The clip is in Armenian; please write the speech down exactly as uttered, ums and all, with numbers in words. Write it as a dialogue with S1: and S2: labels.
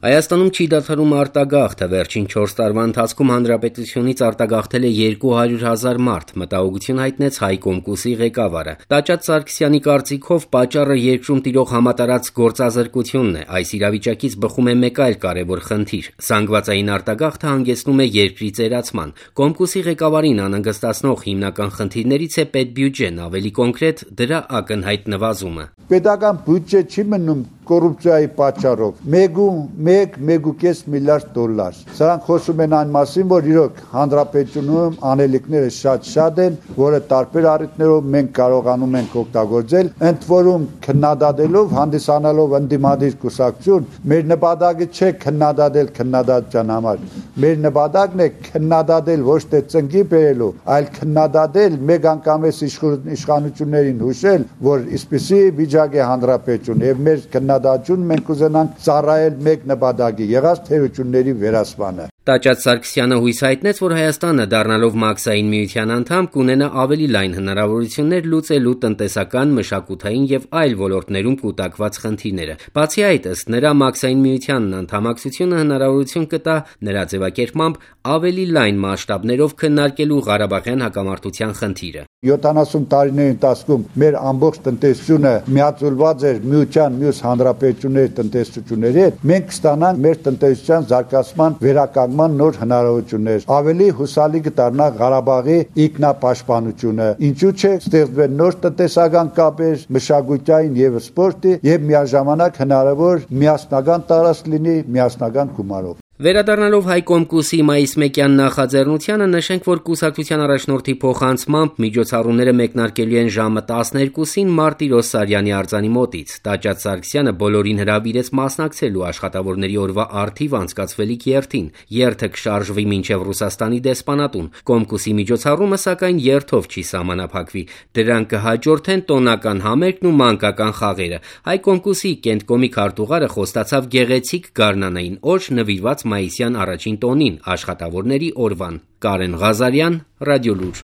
S1: Հայաստանում չի դադարում արտագաղթը, վերջին չորս տարվա ընթացքում հանրապետությունից արտագաղթել է երկու հարյուր հազար մարդ, մտահոգություն հայտնեց Հայ Կոմկուսի ղեկավարը։ Տաճաճ Սարգսյանի կարծիքով պատճառը երկրում տիրող համատարած գործազրկությունն է։ Այս իրավիճակից բխում է մեկ այլ կարևոր խնդիր՝ զանգվածային արտագաղթը հանգեցնում է երկրի ծերացման։ Կոմկուսի ղեկավարին անհանգստացնող հիմնական խնդիրներից է պետբյուջեն, ավելի կոնկրետ՝ դրա ակնհայտ նվազումը։
S2: Պետական բյուջե չի մնում կոռուպցիայի պատճառով մեկ մեկ ու կես միլիարդ դոլար։ Սրանք խոսում են այն մասին, որ իրոք հանրապետությունում անելիքները շատ-շատ են, որը տարբեր առիթներով մենք կարողանում ենք օգտագործել, ընդ որում քննադատելով, հանդիսանալով ընդդիմադիր կուսակցություն, մեր նպատակը չէ քննադատել քննադատության համար։ Մեր նպատակն է քննադատել ոչ թե ծնկի բերելու, այլ քննադատել մեկ անգամես իշխանություններին հուշել, որ այսպիսի վիճակ է հանրապետություն եւ մեր քննադատություն մենք կուզենանք ծառայել մեկ նպատակի՝ եղած թերությունների վերացմանը։
S1: Տաճաճ Սարգսյանը հույս հայտնեց, որ Հայաստանը, դառնալով Մաքսային միության անդամ, կունենա ավելի լայն հնարավորություններ լուծելու տնտեսական, մշակութային եւ այլ ոլորտներում կուտակված խնդիրները։ Բացի այդ, ըստ նրա, Մաքսային միությանն անդամակցությունը հնարավորություն կտա նրա ձևակերպմամբ ավելի լայն մասշտաբներով քննարկելու Ղարաբաղյան հակամարտության խնդիրը։
S2: յոթանասուն տարիների ընթացքում մեր ամբողջ տնտեսությունը միաձուլված էր միության մյուս հանրապետությունների տնտեսությունների հետ, մենք կստանանք մեր տնտեսության զարգացման վերականգնման նոր հնարավորություններ, ավելի հուսալի կդառնա Ղարաբաղի ինքնապաշտպանությունը, ինչու՞ չէ ստեղծվեն նոր տնտեսական կապեր, մշակութային եւ սպորտի եւ միաժամանակ հնարավոր միասնական տարածք լինի միասնական գումարով։
S1: Վերադառնալով Հայ Կոմկուսի մայիս մեկյան նախաձեռնությանը, նշենք, որ կուսակցության առաջնորդի փոխանցմամբ միջոցառումները մեկնարկելու են ժամը տասներկուսին Մարտիրոս Սարյանի արձանի մոտից։ Տաճաճ Սարգսյանը բոլորին հրավիրեց մասնակցելու աշխատավորների օրվա առթիվ անցկացվելիք երթին։ Երթը կշարժվի մինչև Ռուսաստանի դեսպանատուն։ Կոմկուսի միջոցառումը, սակայն, երթով չի սահմանափակվի։ Դրան կհաջորդեն տոնական համերգն ու մանկական խաղերը։ Հայ Կոմկուսի Կենտկոմի քարտուղարը խոստացավ գեղեցիկ գարնանային օր նվիրված մայիսյան առաջին տոնին, աշխատավորների օրվան։ Կարեն Ղազարյան, Ռադիոլուր։